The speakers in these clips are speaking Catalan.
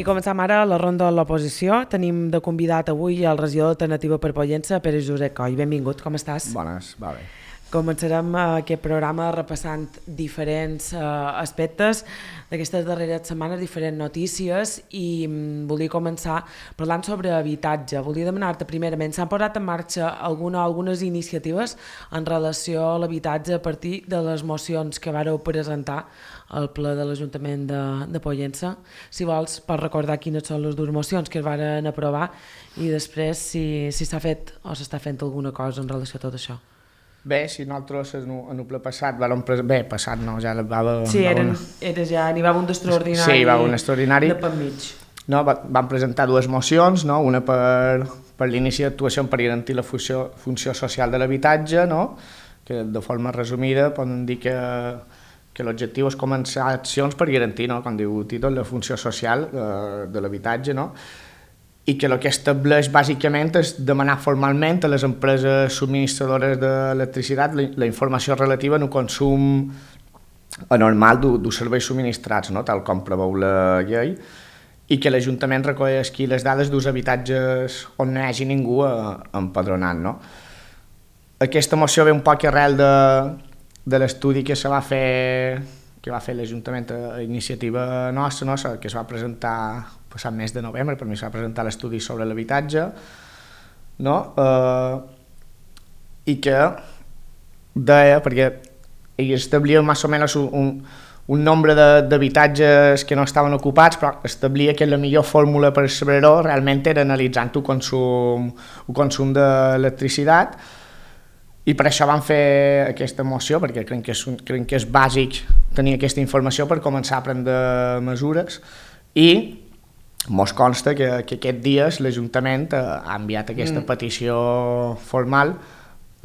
començam ara la ronda de l'oposició. Tenim de convidat avui el regidor d'Alternativa per Pollença, Pere Josep Coll. Benvingut, com estàs? Bones, va bé. Començarem aquest programa repassant diferents aspectes d'aquestes darreres setmanes, diferents notícies, i volia començar parlant sobre habitatge. Volia demanar-te primerament, s'han posat en marxa algunes iniciatives en relació a l'habitatge a partir de les mocions que vareu presentar al ple de l'Ajuntament de Pollença. Si vols, pots recordar quines són les dues mocions que es varen aprovar i després si s'ha fet o s'està fent alguna cosa en relació a tot això. Bé, si nosaltres en el ple passat passat no, ja va... Sí, n'hi va un d'extraordinari. Sí, va un extraordinari. De pel mig. No, vam presentar dues mocions, no? Una per l'inici d'actuació per garantir la funció social de l'habitatge, no? Que de forma resumida poden dir que l'objectiu és començar accions per garantir, no? Com diu el títol, la funció social de l'habitatge, no? I que el que estableix bàsicament és demanar formalment a les empreses subministradores d'electricitat la informació relativa al consum anormal dels serveis subministrats, no? Tal com preveu la llei, i que l'Ajuntament recolli les dades dels habitatges on no hi hagi ningú empadronat, no? Aquesta moció ve un poc arrel de l'estudi que va fer l'Ajuntament a iniciativa nostra, no? Que es va presentar passat mes de novembre, per mi s'ha presentat l'estudi sobre l'habitatge, no? I que deia, perquè ell establia més o menys un nombre d'habitatges que no estaven ocupats, però establia que la millor fórmula per saber-ho realment era analitzant el consum d'electricitat, i per això vam fer aquesta moció, perquè crec que és bàsic tenir aquesta informació per començar a prendre mesures, i mos consta que aquests dies l'Ajuntament ha enviat aquesta petició formal.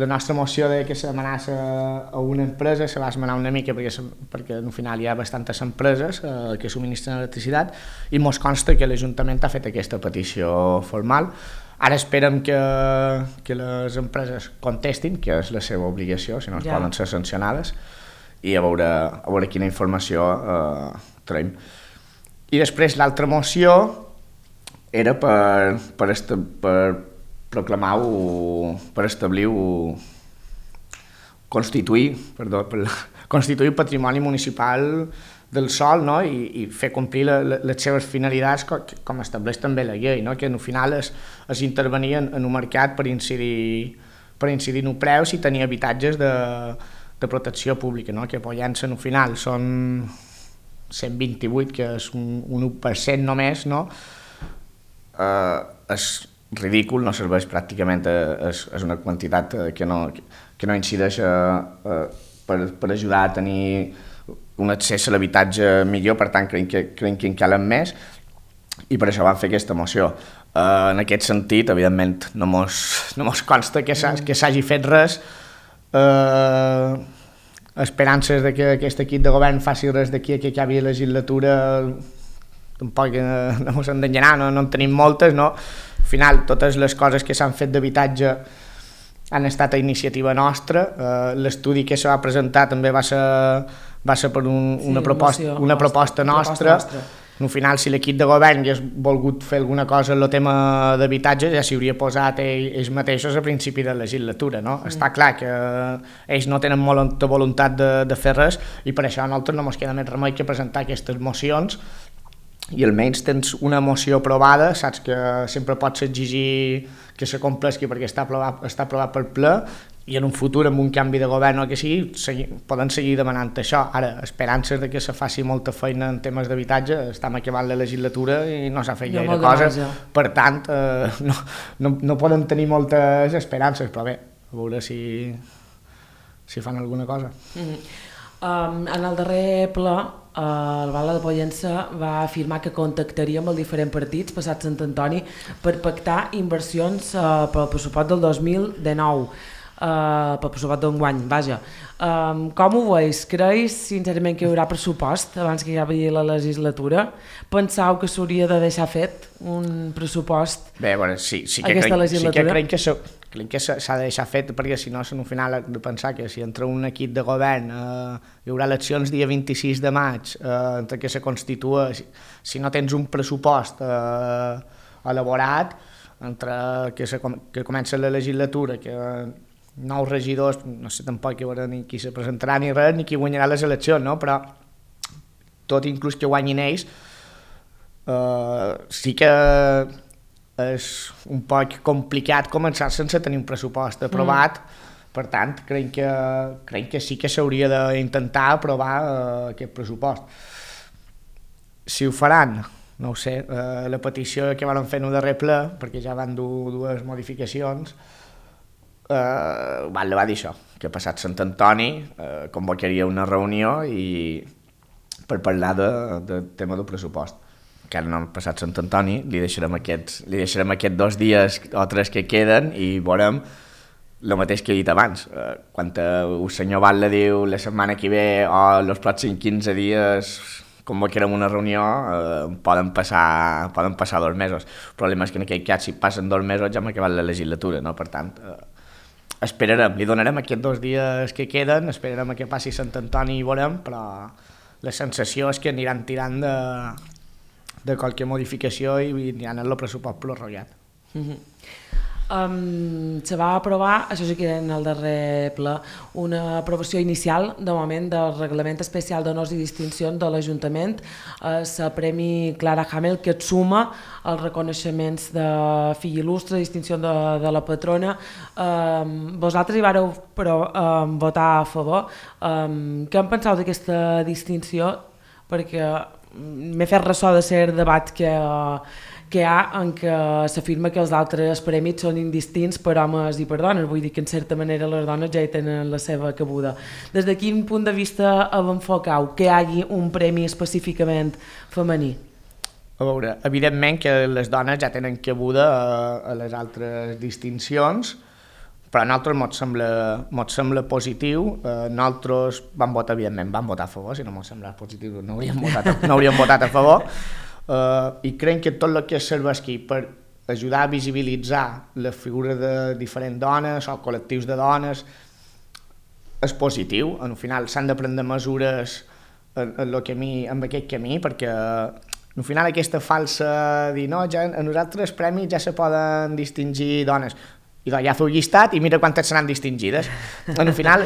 La nostra moció de que se demanés a una empresa se va esmenar una mica perquè al final hi ha bastantes empreses que subministren electricitat, i mos consta que l'Ajuntament ha fet aquesta petició formal. Ara esperem que les empreses contestin, que és la seva obligació, si no es poden ser sancionades, i a veure quina informació traiem. I després l'altra moció era per proclamar per establir constituir patrimoni municipal del sòl, no? I fer complir les seves finalitats com estableix també la llei, no? Que al final és intervenir en un mercat per incidir en els preus i tenir habitatges de protecció pública, no? Que a Pollença al final són 128, que és un 1% només, no? És ridícul, no serveix pràcticament, és una quantitat que no incideix per ajudar a tenir un accés a l'habitatge millor, per tant crec que en calen més, i per això vam fer aquesta moció. En aquest sentit, evidentment, no mos consta que s'hagi fet res, esperances de que aquest equip de govern faci res d'aquí a que acabi la legislatura tampoc no ens hem d'engenar, no en tenim moltes, no? Al final totes les coses que s'han fet d'habitatge han estat a iniciativa nostra. L'estudi que se va presentar també va ser per una proposta nostra. Al final, si l'equip de govern hagués volgut fer alguna cosa en el tema d'habitatge, ja s'hi hauria posat ells mateixos a principi de legislatura, no? Està clar que ells no tenen molta voluntat de fer res, i per això a nosaltres no ens queda més remei que presentar aquestes mocions, i almenys tens una moció aprovada, saps que sempre pots exigir que se compleixi perquè està aprovat per ple, i en un futur, amb un canvi de govern o que sigui, poden seguir demanant això. Ara, esperances de que se faci molta feina en temes d'habitatge, estem acabant la legislatura i no s'ha fet gaire cosa, per tant, no poden tenir moltes esperances, però bé, a veure si fan alguna cosa. En el darrer ple, el Val de Pollença va afirmar que contactaria amb els diferents partits passat Sant Antoni per pactar inversions pel pressupost del 2019, pel pressupost d'enguany, vaja. Com ho veus? Creus sincerament que hi haurà pressupost abans que acabi la legislatura? Penseu que s'hauria de deixar fet un pressupost aquesta legislatura? Sí que crec que s'ha de deixar fet, perquè si no, al final de pensar que si entra un equip de govern hi haurà eleccions dia 26 de maig, entre que se constitueix, si no tens un pressupost elaborat, entre que comença la legislatura, que nous regidors, no sé tampoc que veurà ni qui se presentarà ni res, ni qui guanyarà les eleccions, no? Però tot inclús que guanyin ells, sí que és un poc complicat començar sense tenir un pressupost aprovat, per tant, crec que sí que s'hauria d'intentar aprovar aquest pressupost. Si ho faran, no ho sé, la petició que van fer en el darrer ple, perquè ja van dur dues modificacions, va dir això, que passat Sant Antoni convocaria una reunió per parlar del tema del pressupost. Encara no han passat Sant Antoni, li deixarem aquests 2 dies o 3 que queden i veurem el mateix que he dit abans. Quan el senyor Batlle diu la setmana que ve o els pròxims 15 dies convocarem una reunió, poden passar 2 mesos. El problema és que en aquell cas, si passen 2 mesos, ja hem acabat la legislatura, no? Per tant, esperarem, li donarem aquests 2 dies que queden, esperarem que passi Sant Antoni i veurem, però la sensació és que aniran tirant de qualque modificació i aniran en el pressupost prorrogat. Se va aprovar, això sí que era en el darrer ple, una aprovació inicial de moment del reglament especial d'honors i distincions de l'Ajuntament, el Premi Clara Hamel, que et suma els reconeixements de fill il·lustre, distinció de la patrona. Vosaltres hi vareu votar a favor. Què en penseu d'aquesta distinció? Perquè m'he fet ressò de ser debat que hi ha en què s'afirma que els altres premis són indistints per homes i per dones, vull dir que en certa manera les dones ja hi tenen la seva cabuda. Des de quin punt de vista enfocau que hi hagi un premi específicament femení? A veure, evidentment que les dones ja tenen cabuda a les altres distincions, però a nosaltres mos sembla positiu. Nosaltres vam votar, evidentment, vam votar a favor, si no mos sembla positiu no hauríem votat a favor, i crec que tot el que serveix aquí per ajudar a visibilitzar la figura de diferents dones o col·lectius de dones és positiu. Al final s'han de prendre mesures en aquest camí, perquè al final aquesta falsa dir no, ja en nosaltres premis ja se poden distingir dones, i ja feu llistat i mira quantes seran distingides. Al final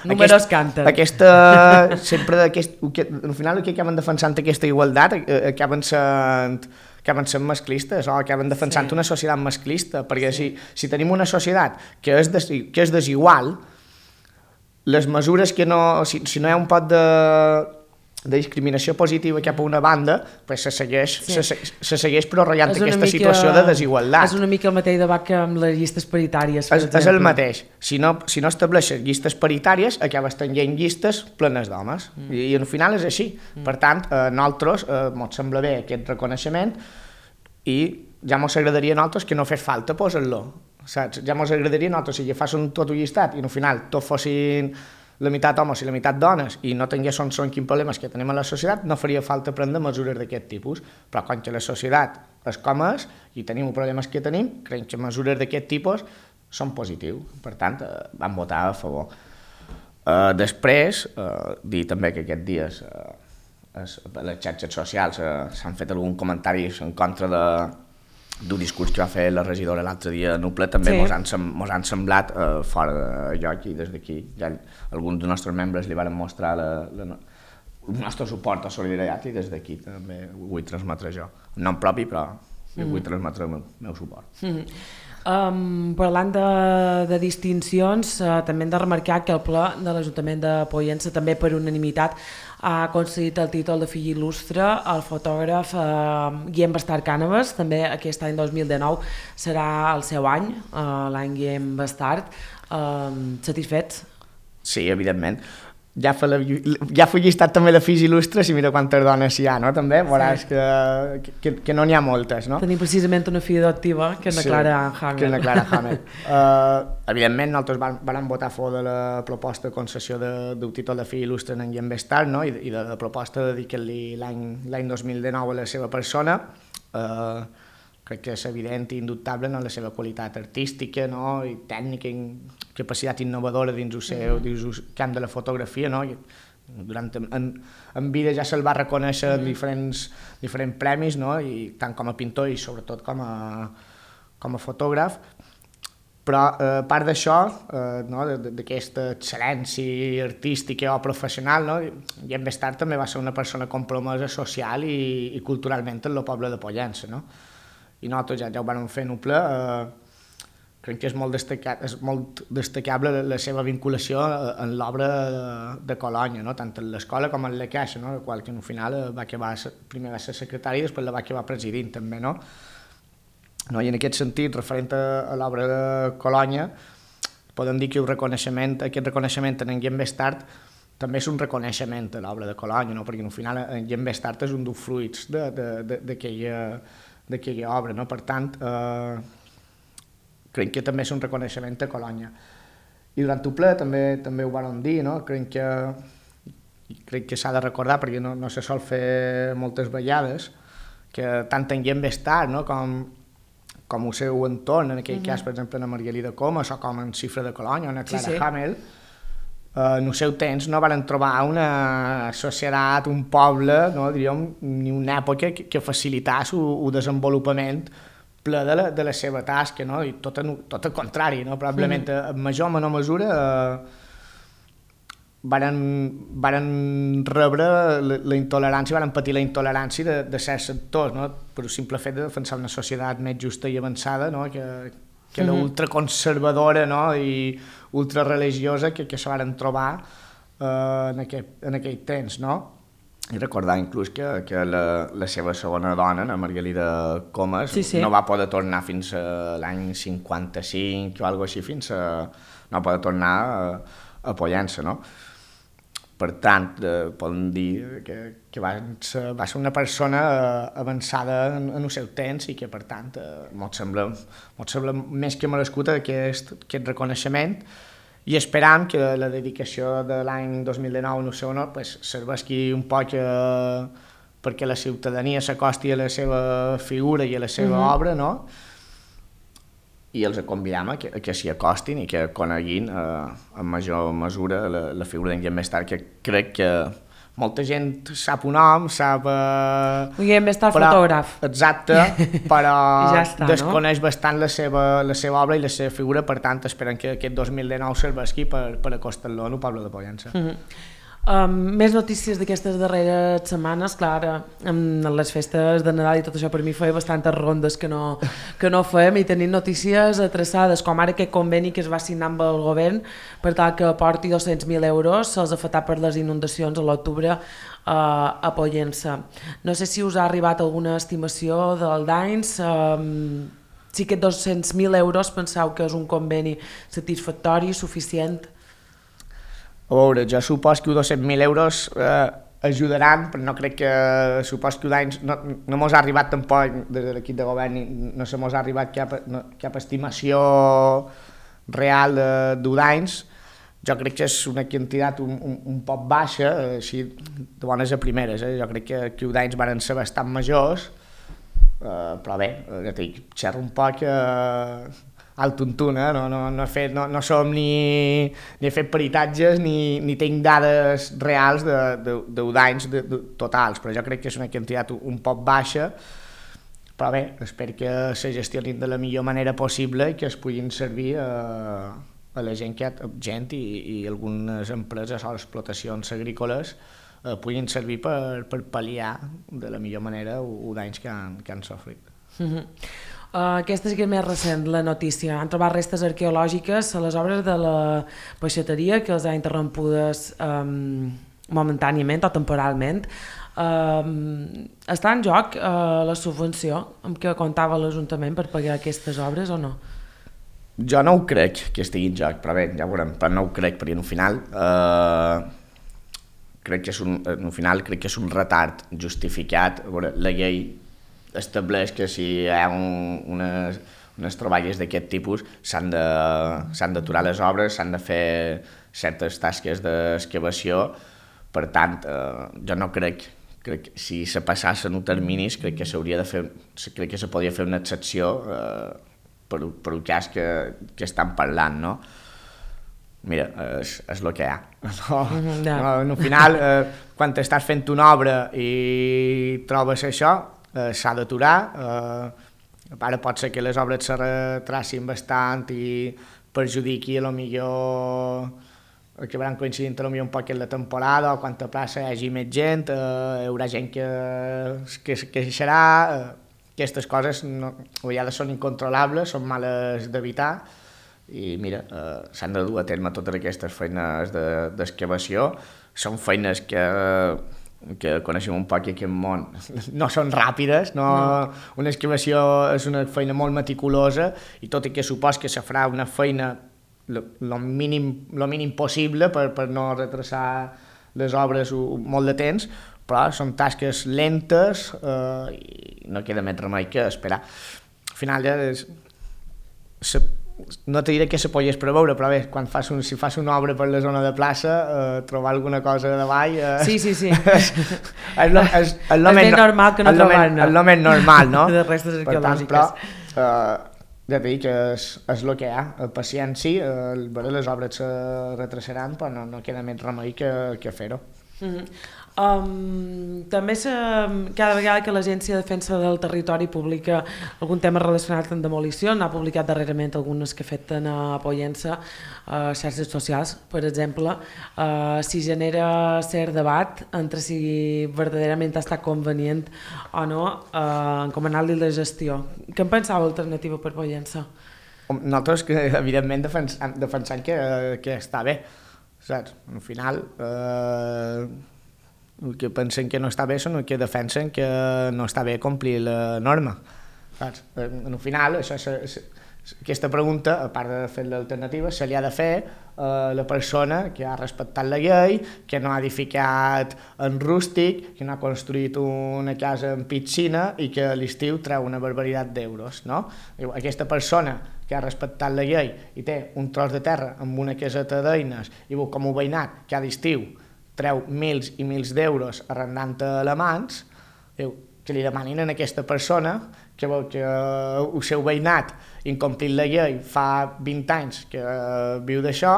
números canten. Al final el que acaben defensant aquesta igualtat acaben sent masclistes o acaben defensant una societat masclista, perquè si tenim una societat que és desigual, les mesures que no, si no hi ha un pot de discriminació positiva cap a una banda, pues se segueix prorrogat aquesta situació de desigualtat. És una mica el mateix debat que amb les llistes paritàries. És el mateix. Si no estableixes llistes paritàries, acabes tenint llistes plenes d'homes. I al final és així. Per tant, a nosaltres ens sembla bé aquest reconeixement i ja ens agradaria a nosaltres que no fes falta posar-lo. Saps? Ja ens agradaria a nosaltres si fas tot un llistat i al final tots fossin la meitat homes i la meitat dones i no tinguéssim quins problemes que tenim a la societat, no faria falta prendre mesures d'aquest tipus. Però quan la societat és com és i tenim els problemes que tenim, crec que mesures d'aquest tipus són positius. Per tant, vam votar a favor. Després, dir també que aquests dies a les xarxes socials s'han fet alguns comentaris en contra d'un discurs que va fer la regidora l'altre dia a Nuple, també mos han semblat fora de lloc, i des d'aquí ja alguns dels nostres membres li van mostrar el nostre suport o solidaritat, i des d'aquí també ho vull transmetre jo. En nom propi, però vull transmetre el meu suport. Parlant de distincions, també hem de remarcar que el ple de l'Ajuntament de Pollença també per unanimitat ha concedit el títol de fill il·lustre al fotògraf Guillem Bastard Cànovas. També aquest any 2019 serà el seu any, l'any Guillem Bastard. Satisfets? Sí, evidentment. Ja fa llistat també de fills il·lustres i mira quantes dones hi ha, no? També veuràs que no n'hi ha moltes, no? Tenim precisament una filla adoptiva, que és la Clara Hamel. Que és la Clara Hamel. Evidentment, nosaltres vam votar a favor de la proposta de concessió del títol de fill il·lustre en Guillem Bastard, no? I de la proposta de dedicar-li l'any 2019 a la seva persona. crec que és evident i indubtable, no, la seva qualitat artística, no, i tècnica i capacitat innovadora dins el camp de la fotografia, no, en vida ja se'l va reconèixer en diferents premis, no, i tant com a pintor i sobretot com a fotògraf. Però a part d'això, no, d'aquesta excel·lència artística o professional, no, i més tard també va ser una persona compromesa social i culturalment en el poble de Pollença. No? I nosaltres ja ho vam fer en un ple, crec que és molt destacable la seva vinculació en l'obra de Colònia, no? Tant en l'escola com en la Caixa, no? La qual que al final primer va ser secretari i després la va acabar presidint també, no? No, i en aquest sentit, referent a l'obra de Colònia, podem dir que aquest reconeixement en Guillem Bestart també és un reconeixement a l'obra de Colònia, no? Perquè al final en Guillem Bestart és un dels fruits d'aquella obra, no? Per tant, crec que també és un reconeixement a Colònia. I durant el ple també ho vam dir, no? Crec que s'ha de recordar, perquè no se sol fer moltes vegades, que tant en Guillem Bestart, no? com el seu entorn, en aquell cas, per exemple, en Margalida Comas, o com en Xifra de Colònia, o en Clara Hamel, en el seu temps no van trobar una societat, un poble, no, diríem, ni una època que facilitàs el desenvolupament ple de la seva tasca, no? I tot el contrari, no? Probablement en major o menor mesura varen rebre la intolerància, varen patir la intolerància de certs sectors, no? Per el simple fet de defensar una societat més justa i avançada, no? que l'ultraconservadora, no? I ultrareligiosa que se varen trobar en aquell temps. No? I recordar inclús que la seva segona dona, la Margalida Comas, no va poder tornar fins a l'any 55 o alguna cosa així, no va poder tornar a Pollença, no? Per tant, podem dir que va ser una persona avançada en el seu temps i que, per tant, mos sembla més que merescut aquest reconeixement i esperam que la dedicació de l'any 2019 en el seu honor serveixi un poc perquè la ciutadania s'acosti a la seva figura i a la seva obra, no? I els convidam a que s'hi acostin i que coneguin en major mesura la figura d'en Guillem Bestart, que crec que molta gent sap un nom, sap... Guillem Bestart, fotògraf. Exacte, però ja està, desconeix bastant la seva obra i la seva figura, per tant, esperen que aquest 2019 serveixi per acostar-lo al poble de Pollença. Més notícies d'aquestes darreres setmanes, clar, amb les festes de Nadal i tot això per mi feia bastantes rondes que no fem i tenim notícies atreçades, com ara aquest conveni que es va signar amb el govern per tal que aporti 200.000 euros als afectats per les inundacions a l'octubre a Pollença. No sé si us ha arribat alguna estimació del danys, si aquests 200.000 euros penseu que és un conveni satisfactori, suficient? A veure, jo supos que 200.000 euros ajudaran, però no crec que supos que d'anys no mos ha arribat tampoc des de l'equip de govern, no se mos ha arribat cap estimació real d'anys. Jo crec que és una quantitat un poc baixa, així de bones a primeres. Jo crec que d'anys van ser bastant majors, però bé, xerro un poc al tuntun, no som ni he fet peritatges ni tinc dades reals de danys totals, però jo crec que és una quantitat un poc baixa, però bé, espero que se gestionin de la millor manera possible i que es puguin servir a la gent i algunes empreses o explotacions agrícoles puguin servir per pal·liar de la millor manera els danys que han sofrit. Aquesta és més recent, la notícia. Han trobat restes arqueològiques a les obres de la peixateria que els ha interrompudes momentàniament o temporalment. Està en joc la subvenció amb què comptava l'Ajuntament per pagar aquestes obres o no? Jo no ho crec que estigui en joc, però bé, ja ho veurem, però no ho crec, perquè al final crec que és un retard justificat. La llei estableix que si hi ha unes troballes d'aquest tipus s'han d'aturar les obres, s'han de fer certes tasques d'excavació. Per tant, jo no crec crec que si se passassen els terminis crec que s'hauria de fer, crec que se podria fer una excepció per el cas que estan parlant, no? Mira, és el que hi ha. Al final, quan estàs fent una obra i trobes això, s'ha d'aturar. Ara pot ser que les obres se retracin bastant i perjudiqui a lo millor acabaran coincidint a lo millor un poc en la temporada o quan a plaça hi hagi més gent, hi haurà gent que queixarà. Aquestes coses a vegades són incontrolables, són males d'evitar i mira, s'han de dur a terme totes aquestes feines d'excavació. Són feines que coneixem un poc aquest món, no són ràpides, una excavació és una feina molt meticulosa i tot i que supos que se farà una feina lo mínim possible per no retrasar les obres molt de temps, però són tasques lentes i no queda més remei que esperar. Al final ja no te diré que se pogués preveure, però bé, si fas una obra per la zona de plaça, trobar alguna cosa de davall... Sí. és lo més normal que no trobar-ne. És lo més normal, no? De restes arqueològiques. Però ja t'he dit que és el que hi ha. Paciència, les obres se retrasaran, però no queda més remei que fer-ho. També cada vegada que l'Agència de Defensa del Territori publica algun tema relacionat amb demolició, n'ha publicat darrerament algunes que afecten a Pollença, a xarxes socials, per exemple, si genera cert debat entre si verdaderament ha estat convenient o no encomanar-li la gestió. Què en pensava alternativa per Pollença? Nosaltres, evidentment, defensem que està bé, saps? Al final... el que pensen que no està bé són el que defensen que no està bé complir la norma. Saps? Al final, aquesta pregunta, a part de fer l'alternativa, se li ha de fer a la persona que ha respectat la llei, que no ha edificat en rústic, que no ha construït una casa en piscina i que a l'estiu treu una barbaritat d'euros. No? Aquesta persona que ha respectat la llei i té un tros de terra amb una caseta d'eines i com un veïnat que a l'estiu treu mils i mils d'euros arrendant a alemans, que li demanin a aquesta persona que el seu veïnat incomplint la llei fa 20 anys que viu d'això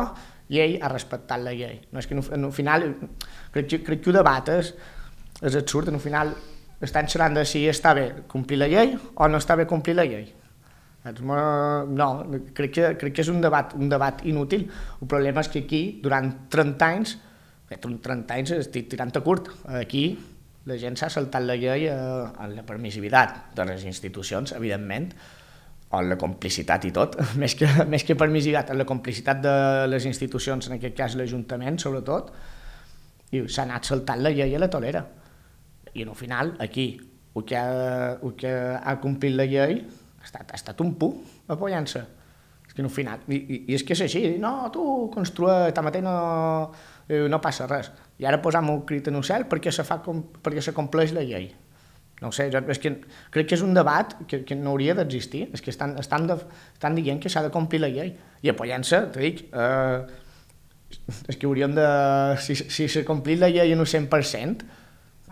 i ell ha respectat la llei. No, és que al final crec que el debat és absurd, al final estan xerrant de si està bé complir la llei o no està bé complir la llei. No, crec que és un debat inútil. El problema és que aquí, durant 30 anys, 30 anys estic tirant a curt. Aquí la gent s'ha saltat la llei en la permissivitat de les institucions, evidentment, o en la complicitat i tot, més que permissivitat, en la complicitat de les institucions, en aquest cas l'Ajuntament, sobretot, i s'ha anat saltant la llei a la tolera. I al final, aquí, el que ha complit la llei ha estat un pu a Pollença. És que al final, i és que és així, no, tu construeix, tanmateix no passa res. I ara posam un crit en el cel perquè se compleix la llei. No ho sé, és que crec que és un debat que no hauria d'existir. És que estan dient que s'ha de complir la llei. I a Pollença, t'ho dic, és que hauríem de... Si s'ha complit la llei en un 100%,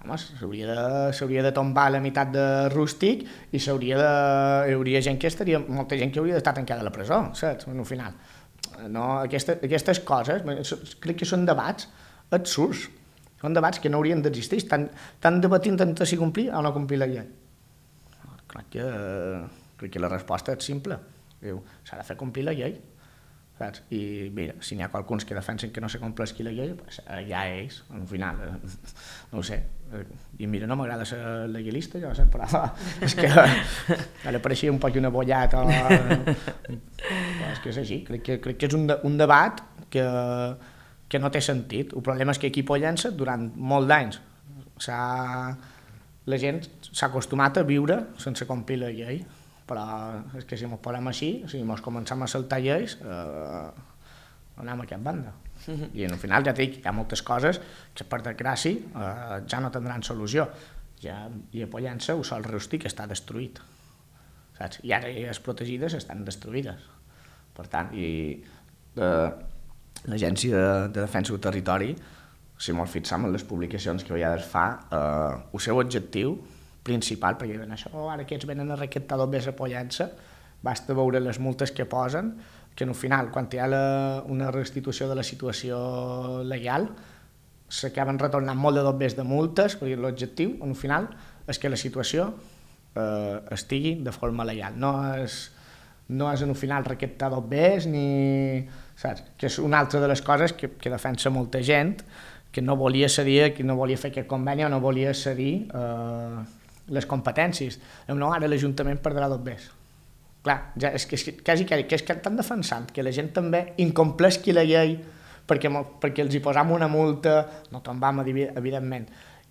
s'hauria de tombar la meitat de rústic i hi hauria gent molta gent que hauria d'estar tancada a la presó, saps? Al final. No, aquestes coses, crec que són debats absurds, són debats que no haurien d'existir, estan debatint entre si complir o no complir la llei. Crec que la resposta és simple, s'ha de fer complir la llei, saps? I mira, si n'hi ha qualcuns que defensen que no se compleixi la llei, pues, ja ells, al final, no ho sé, i mira, no m'agrada ser legalista, jo sé, però és que ara pareixia un poc una bollata, però és que és així, crec que és un debat que no té sentit. El problema és que aquí a Pollença, durant molts d'anys, la gent s'ha acostumat a viure sense complir la llei, però és que si ens posem així, si ens comencem a saltar lleis, anem a cap banda. I al final ja dic, hi ha moltes coses que per desgràcia ja no tindran solució. I a Pollença el sòl rústic està destruït, saps? I ara les protegides estan destruïdes. Per tant, l'Agència de Defensa del Territori si molt fixam en les publicacions que vegades fa, el seu objectiu principal, perquè diuen això, ara aquests venen a recaptar dobbers apoyant-se, basta veure les multes que posen, que al final, quan hi ha una restitució de la situació legal, s'acaben retornant molt de dobbers de multes, perquè l'objectiu, al final, és que la situació estigui de forma legal. No és al final recaptar dobbers, ni... Saps? Que és una altra de les coses que defensa molta gent, que no volia cedir, que no volia fer aquest conveni o no volia cedir les competències. No, ara l'Ajuntament perdrà dobbers. Clar, ja és que estan defensant que la gent també incompleixi la llei perquè els hi posam una multa, no tombam, evidentment,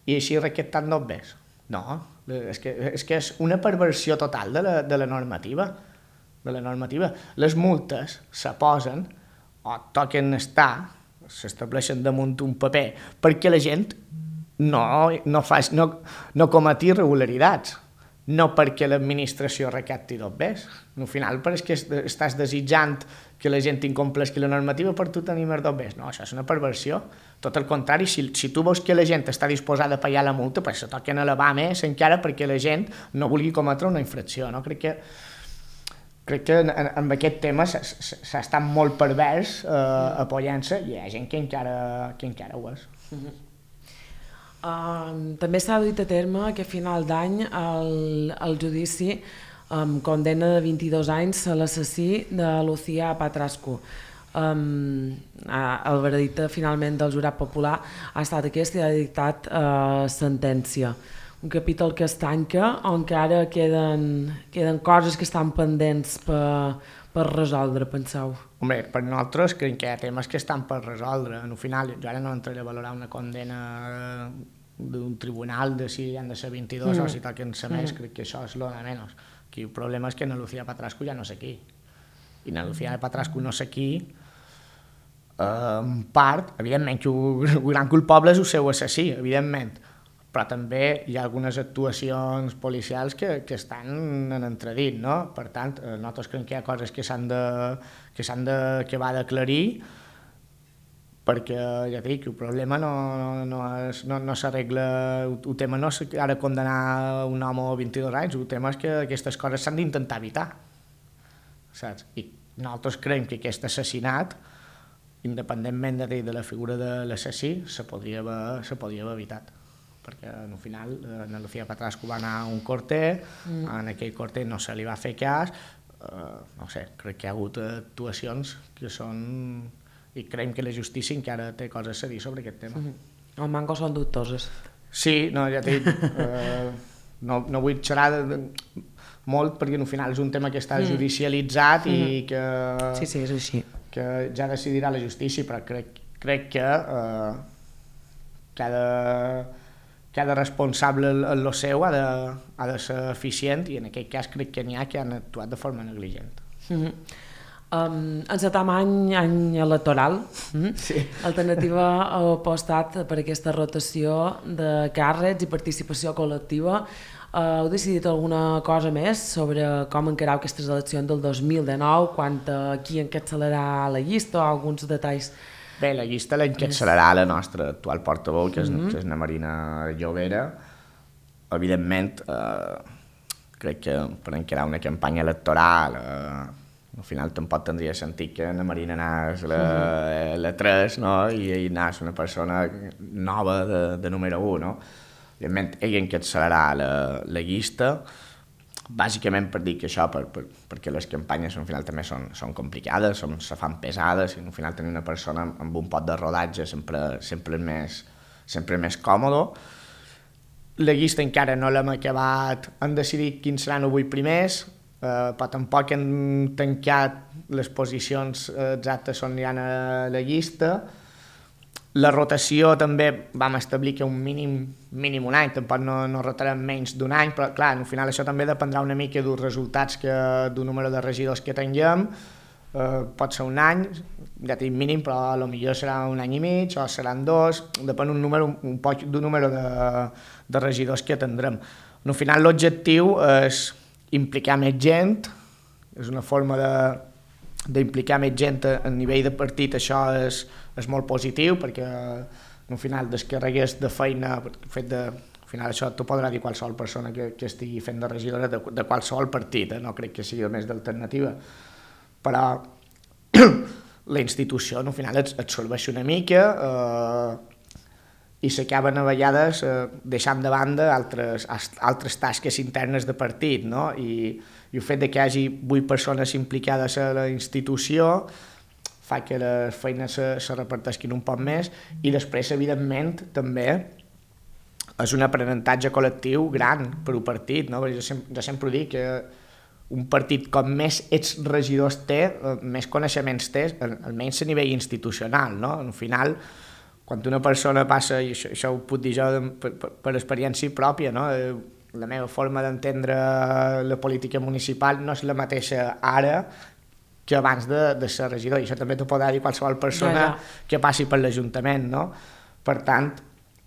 i així recaptant dobbers. No, és que és una perversió total de la normativa. Les multes se posen o toquen estar, s'estableixen damunt un paper perquè la gent no cometi irregularitats, no perquè l'administració recapti dobbers. Al final, perquè estàs desitjant que la gent incompleixi la normativa per tu tenir més dobbers. No, això és una perversió. Tot el contrari, si tu veus que la gent està disposada a pagar la multa, pues se toquen a elevar més encara perquè la gent no vulgui cometre una infracció. No? Crec que en aquest tema s'ha estat molt pervers apoyant-se i hi ha gent que encara ho és. També s'ha duit a terme que a final d'any el judici condena de 22 anys a l'assassí de Lucía Patrasco. El veredicte finalment del jurat popular ha estat aquest i ha dictat sentència. Un capítol que es tanca on encara queden coses que estan pendents per resoldre, penseu? Home, per nosaltres crec que hi ha temes que estan per resoldre. Al final, jo ara no entraré a valorar una condena d'un tribunal de si han de ser 22 o si toquen ser més, crec que això és lo de menys. Aquí el problema és que na Lucía Patrasco ja no sé qui. I na Lucía Patrasco no sé qui, en part, evidentment que el gran culpable és el seu assassí, evidentment, però també hi ha algunes actuacions policials que estan en entredit, no? Per tant, nosaltres creiem que hi ha coses que va d'aclarir, perquè, ja dic, el problema no s'arregla, el tema no és ara condenar un home a 22 anys, el tema és que aquestes coses s'han d'intentar evitar, saps? I nosaltres creiem que aquest assassinat, independentment de la figura de l'assassí, se podria haver evitat, perquè al final na Lucía Patrasco va anar a un corter, en aquell corter no se li va fer cas, no sé, crec que hi ha hagut actuacions que són... i creiem que la justícia encara té coses a dir sobre aquest tema. El manco són dubtoses. Sí, no, ja t'he dit, no vull xerrar molt perquè al final és un tema que està judicialitzat i que... Sí, és així. Que ja decidirà la justícia, però crec que cada responsable en lo seu ha de ser eficient i en aquest cas crec que n'hi ha que han actuat de forma negligent. Encetam any electoral, Alternativa ha apostat per aquesta rotació de càrrecs i participació col·lectiva. Heu decidit alguna cosa més sobre com encarau aquestes eleccions del 2019, quant a qui encapçalarà la llista o alguns detalls? Bé, la llista l'encapçalarà la nostra actual portaveu, que és na Marina Llobera. Evidentment, crec que per encarar una campanya electoral al final tampoc tindria sentit que na Marina anés la 3, no? I anés una persona nova de número 1, no? Evidentment, ell encapçalarà la llista, bàsicament per dir que això, perquè les campanyes al final també són complicades, se fan pesades, i al final tenir una persona amb un pot de rodatge sempre més còmode. La llista encara no l'hem acabat, hem decidit quins seran els 8 primers, però tampoc hem tancat les posicions exactes on hi ha a la llista. La rotació també vam establir que un mínim un any, tampoc no rotarem menys d'un any, però clar, al final això també dependrà una mica dels resultats del número de regidors que tinguem. Pot ser un any, ja tinc mínim, però potser serà un any i mig o seran 2, depèn un poc del número de regidors que tindrem. Al final l'objectiu és implicar més gent, és una forma d'implicar més gent a nivell de partit, això és molt positiu perquè al final descarregués de feina, perquè el fet de, al final això t'ho podrà dir qualsevol persona que estigui fent de regidora de qualsevol partit, no crec que sigui més d'alternativa, però la institució al final et serveix una mica i s'acaben a vegades deixant de banda altres tasques internes de partit, no? I el fet de que hi hagi 8 persones implicades a la institució fa que les feines se reparteixin un poc més i després, evidentment, també és un aprenentatge col·lectiu gran per un partit, no? Jo sempre dic que un partit com més ets regidors té, més coneixements té, almenys a nivell institucional, no? Al final, quan una persona passa, i això ho puc dir jo per experiència pròpia, no? La meva forma d'entendre la política municipal no és la mateixa ara que abans de ser regidor, i això també t'ho podrà dir qualsevol persona que passi per l'Ajuntament, no? Per tant,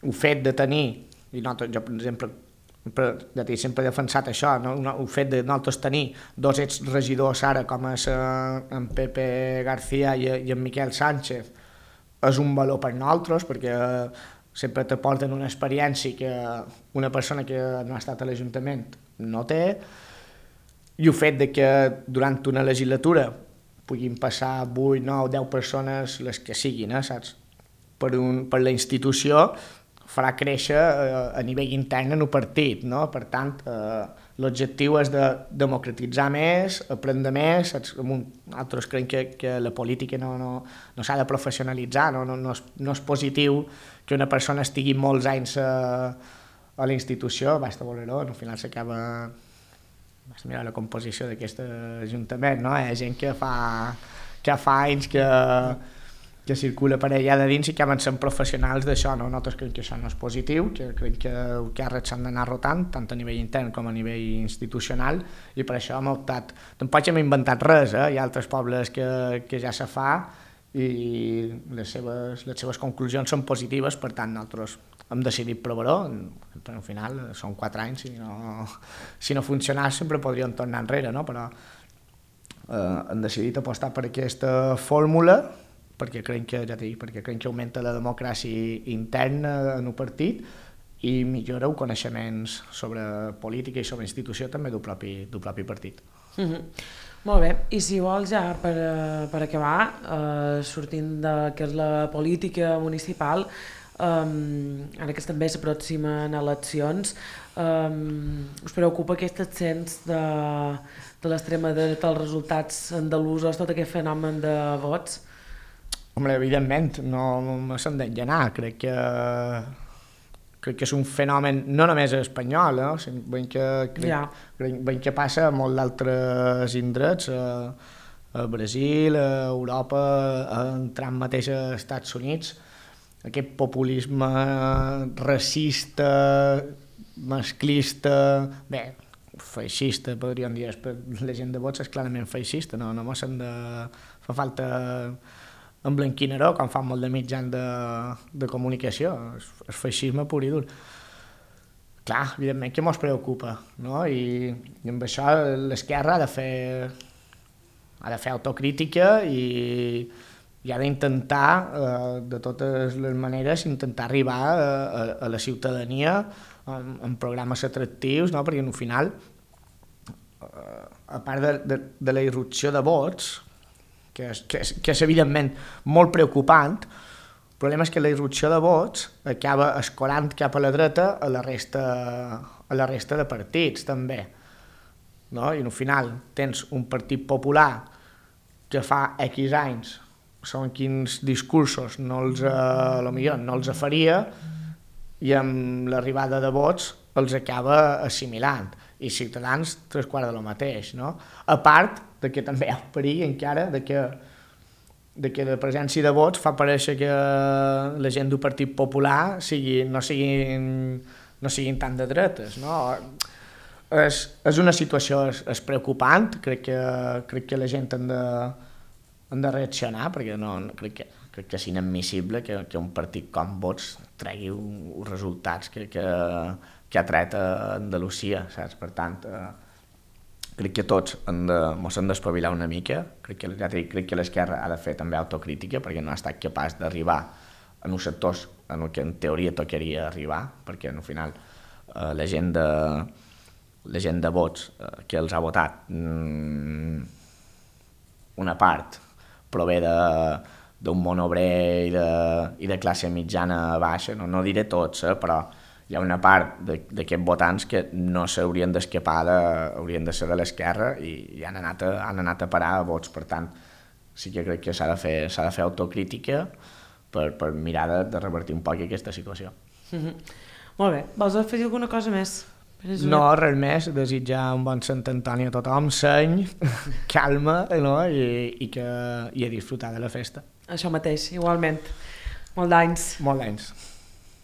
el fet de tenir, i jo per exemple sempre he defensat això, no? El fet de nosaltres tenir 2 exregidors ara com és en Pepe García i en Miquel Sánchez és un valor per nosaltres perquè sempre t'aporten una experiència que una persona que no ha estat a l'Ajuntament no té, i el fet de que durant una legislatura puguin passar 8, 9, 10 persones, les que siguin, saps? Per la institució farà créixer a nivell intern en el partit, no? Per tant, l'objectiu és de democratitzar més, aprendre més, saps? Nosaltres creiem que la política no s'ha de professionalitzar, no és positiu que una persona estigui molts anys a la institució, basta voler-ho, al final s'acaba... Vas mirar la composició d'aquest ajuntament, no? Hi ha gent que fa anys que circula per allà de dins i que acaben sent professionals d'això, no? Nosaltres creiem que això no és positiu, que creiem que els càrrecs s'han d'anar rotant, tant a nivell intern com a nivell institucional, i per això hem optat. Tampoc hem inventat res, hi ha altres pobles que ja se fa i les seves conclusions són positives, per tant nosaltres hem decidit provar-ho, però al final són 4 anys, si no funcionés sempre podríem tornar enrere, no? Però hem decidit apostar per aquesta fórmula perquè creiem que augmenta la democràcia interna en el partit i millora els coneixements sobre política i sobre institució també del propi partit. Molt bé, i si vols ja per acabar, sortint de que és la política municipal, ara que també s'aproximen eleccions, us preocupa aquest ascens de l'extrema dreta, els resultats andalusos, tot aquest fenomen de vots? Home, evidentment, no s'han d'engenar, crec que és un fenomen no només espanyol, veiem que passa a molts d'altres indrets, a Brasil, a Europa, entrant mateix als Estats Units, aquest populisme racista, masclista, bé, feixista, podríem dir, la gent de vots és clarament feixista, no s'han de... fa falta emblanquinaró, com fan molt de mitjans de comunicació, és feixisme pur i dur. Clar, evidentment que mos preocupa, no? I amb això l'esquerra ha de fer autocrítica i ha d'intentar, de totes les maneres, intentar arribar a la ciutadania amb programes atractius, no? Perquè al final, a part de la irrupció de vots, que és evidentment molt preocupant, el problema és que la irrupció de vots acaba escolant cap a la dreta a la resta de partits també, no? I al final tens un partit popular que fa X anys segons quins discursos no els faria i amb l'arribada de vots els acaba assimilant, i Ciutadans 3/4 de lo mateix, no? A part de que també hi ha el perill encara de que la presència de vots fa parèixer que la gent del Partit Popular no siguin tan de dretes, no? És una situació preocupant, crec que la gent han de reaccionar, perquè crec que és inadmissible que un partit com Vots tregui uns resultats que ha tret a Andalusia, saps? Per tant, crec que tots mos hem d'espavilar una mica, crec que l'esquerra ha de fer també autocrítica perquè no ha estat capaç d'arribar en uns sectors en el que en teoria tocaria arribar, perquè al final la gent de vots que els ha votat, una part prové d'un món obrer i de classe mitjana baixa, no diré tots, però hi ha una part d'aquests votants que no s'haurien d'escapar, haurien de ser de l'esquerra i han anat a parar a vots. Per tant, sí que crec que s'ha de fer autocrítica per mirar de revertir un poc aquesta situació. Molt bé, vols afegir alguna cosa més? No, res més, desitjar un bon Sant Antoni a tothom, seny, calma, no? I a disfrutar de la festa. Això mateix, igualment. Molt d'anys. Molt d'anys.